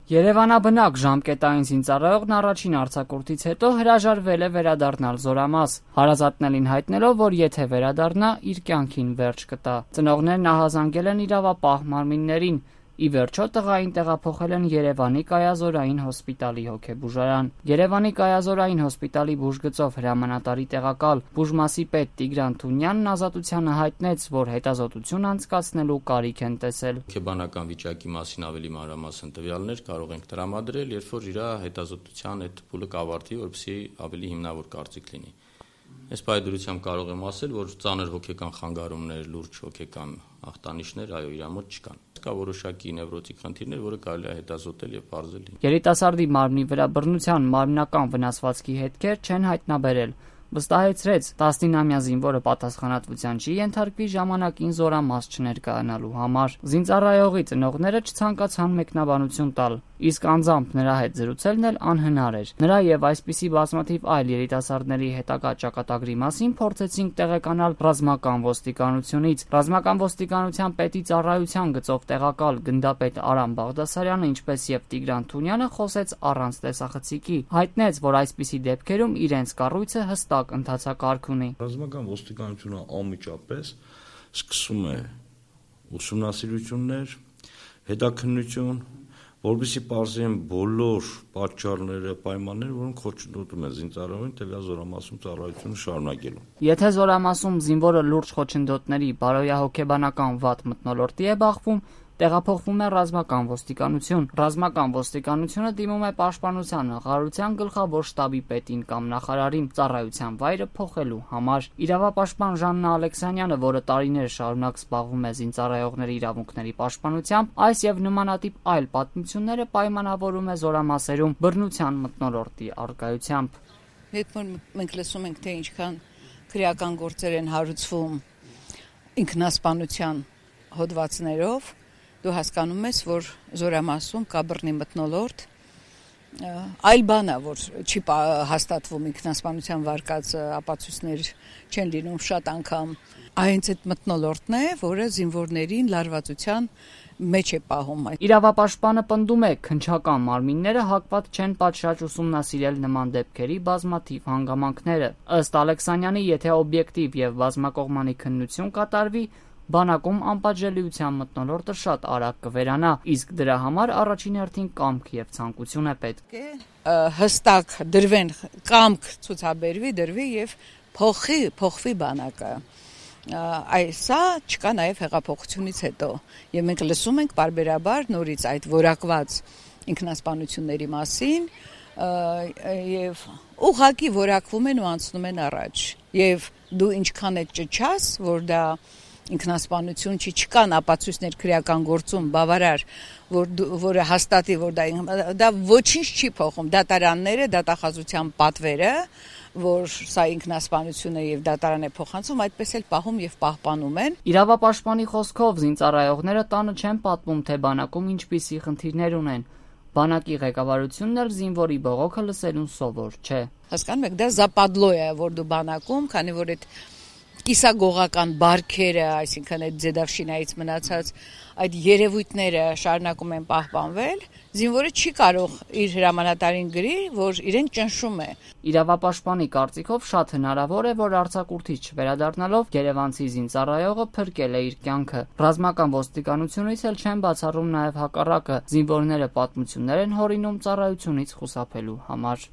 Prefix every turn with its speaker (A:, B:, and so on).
A: Երևանաբնակ ժամկետային զինծառայողն առաջին արձակուրդից հետո հրաժարվել է վերադառնալ Զորամաս, հարազատներին հայտնելով, որ եթե վերադառնա, իր կյանքին վերջ կտա։ Ծնողներն ահազանգել են իրավապահ մարմիններին։ Ի վերջո տղային տեղափոխել են Երևանի կայազորային հոսպիտալի հոգեբուժարան։ Երևանի կայազորային հոսպիտալի բուժգծով հրամանատարի տեղակալ բուժմասի պետ Տիգրան Թունյանն Ազատությանը հայտնեց, որ հետազոտություն անցկացնելու կարիք են տեսել։
B: Հոգեբանական վիճակի մասին ավելի մանրամասն տվյալներ կարող ենք տրամադրել, երբ որ իր հետազոտության այդ փուլը կավարտվի, որպեսզի ավելի հիմնավոր կարծիք լինի։ Այս պայմանությամբ կարող եմ ասել, որ ծանր հոգեկան խանգարումներ, լուրջ հոգեկան ախտանիշներ այո իր մոտ չկան։ Կա որոշակի նևրոտիկ խնդիրներ, որը կարելի է հետազոտել եւ բարձել։
A: Երիտասարդի մարմնի վրա բռնության մարմնական վնասվածքի հետքեր չեն հայտնաբերել։ Վստահեցրեց 19-ամյա զինվորը պատասխանատվության չի ենթարկվի ժամանակին Զորամաս չներկայանալու համար։ Զինծառայողի ծնողները չցանկացան մեկնաբանություն տալ, իսկ անձամբ նրա հետ զրուցելն էլ անհնար էր։ Նրա եւ այսպիսի բազմաթիվ այլ երիտասարդների հետագա ճակատագրի մասին փորձեցինք տեղեկանալ ռազմական ոստիկանությունից։ Ռազմական ոստիկանության պետի ծառայության գծով տեղակալ գնդապետ Արամ Բաղդասարյանը, ինչպես եւ Տիգրան Թունյանը խոսեց առանց տեսախցիկի, հայտնեց, որ այսպիսի դեպքերում իրենց կառույցը հստակ ընթացակարգ ունի։
C: Ռազմական ոստիկանությունը անմիջապես սկսում է ուսումնասիրություններ, հետաքննություն, որովհետեւ պարզեն բոլոր պատճառները, պայմանները, որոնք խոչընդոտում են զինծառայողին տվյալ Զորամասում ծառայությունը շարունակելու։
A: Եթե Զորամասում զինվորը լուրջ խոչընդոտների բարոյահոգեբանական վատ մթնոլորտի է բախվում, տեղափոխվում է ռազմական ոստիկանություն։ Ռազմական ոստիկանությունը դիմում է պաշտպանության նախարարության գլխավոր շտաբի պետին կամ նախարարին ծառայության վայրը փոխելու համար։ Իրավապաշտպան Ժաննա Ալեքսանյանը, որը տարիներ շարունակ զբաղվում է զինծառայողների իրավունքների պաշտպանությամբ, այս եւ նմանատիպ այլ պատմությունները պայմանավորում է Զորամասերում բռնության մթնոլորտի առկայությամբ։
D: Երբ մենք լսում ենք, թե ինչքան քրեական գործեր են հարուցվում ինքնասպանության հոդվածներով, դու հասկանում ես, որ Զորամասում կա բռնի մթնոլորտ, այլ բան է, որ չի հաստատվում ինքնասպանության վարկած ապացույցներ չեն լինում շատ անգամ։ Այնց այդ մթնոլորտն է, որը զինվորներին լարվածության մեջ է պահում։
A: Իրավապաշտպանը պնդում է, քննչական մարմինները հակված չեն պատշաճ ուսումնասիրել նման դեպքերի բազմաթիվ հանգամանքները։ Ըստ Ալեքսանյանի, եթե օբյեկտիվ եւ բազմակողմանի քննություն կատարվի, բանակում անպատժելիության մթնոլորտը շատ արագ կվերանա, իսկ դրա համար առաջին հերթին կամք եւ ցանկություն է պետք։
D: Հստակ դրվեն կամք դրվի եւ փոխվի բանակը։ Այսա չկա նաեւ հեղափոխությունից հետո եւ մենք լսում ենք բարբերաբար նորից այդ որակված ինքնասպանությունների մասին եւ ուղղակի որակվում են ու անցնում են առաջ եւ դու ինչքան է ճչաս, որ դա ինքնասպանություն չի, չկան ապացույցներ քրեական գործում բավարար, որը հաստատի, որ դա ոչինչ չի փոխում, դատարանները, դատախազության պատվերը, որ սա ինքնասպանություն է եւ դատարան է փոխանցում, այդպես էլ պահում եւ պահպանում են։
A: Իրավապաշտպանի խոսքով զինծառայողները տանը չեն պատմում, թե բանակում ինչպիսի խնդիրներ ունեն։ Բանակի ղեկավարությունն էլ զինվորի բողոքը լսելուն սովոր չէ։
D: Հասկանում եք, դա զապադլո է, որ դու բանակում, քանի որ այդ կիսագողական բարքերը, այսինքն այդ ձեդավշինայից մնացած այդ երևույթները շարունակում են պահպանվել, զինվորը չի կարող իր հրամանատարին գրի, որ իրեն ճնշում է։
A: Իրավապաշտպանի կարծիքով շատ հնարավոր է, որ արձակուրդից չվերադառնալով գերեվանցի զինծառայողը փրկել է իր կյանքը։ Ռազմական ոստիկանությունից էլ չեն բացառում նաև հակառակը, զինվորները պատմություններ են հորինում ծառայությունից խուսափելու համար։